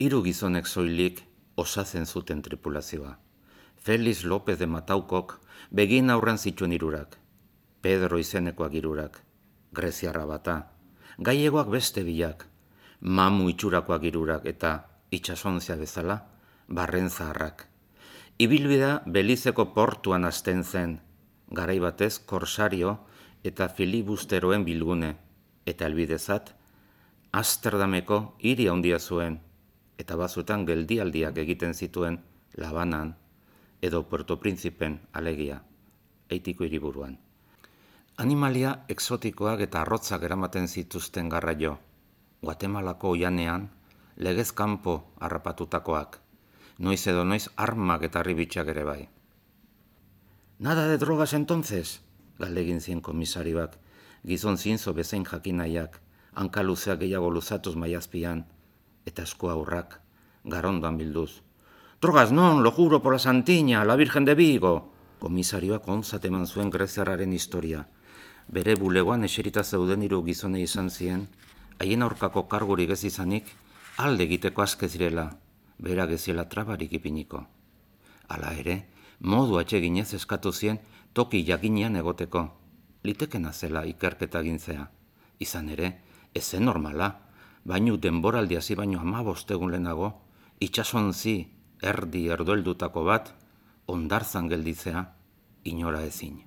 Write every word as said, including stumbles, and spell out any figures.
Hiru gizonek soilik osatzen zuten tripulazioa. Felix López de Mataukok begien aurren zituen hirurak, Pedro izenekoak hirurak, greziarra bata, gaiegoak beste bilak, mamu itxurakoak hirurak eta itxasontzia bezala, barren zaharrak. Ibilbidea Belizeko portuan hasten zen, garai batez korsario eta filibusteroen bilgune, eta helbidezat, Amsterdameko hiri handia zuen, eta bazuetan geldialdiak egiten zituen Labanan edo Puerto Príncipen alegia, Haitiko hiriburuan. Animalia exotikoak eta arrotzak eramaten zituzten garraio, Guatemalako oianean legez kanpo harrapatutakoak, noiz edo noiz armak eta harribitxak ere bai. Nada de drogas entonces, galdegin zien komisarioak, gizon zinzo bezain jakinaiak, hanka luzeak gehiago luzatuz maiazpian, eta esku aurrak, garondoan bilduz. Drogas non, lo juro por la Santiña, la Virgen de Vigo! Komisarioak onzat eman zuen greziarraren historia. Bere bulegoan eserita zeuden hiru gizonei izan zien, haien aurkako kargurik ez izanik, alde egiteko aske zirela, bera geziela trabarik ipiniko. Hala ere, modu atseginez eskatu zien toki jakinean egoteko, litekena zela ikerketa gintzea. Izan ere, ez zen normala, baino denboraldi hasi baino hamabost egun lehenago, itsasontzi erdi erdoeldutako bat, hondartzan gelditzea, inora ezin.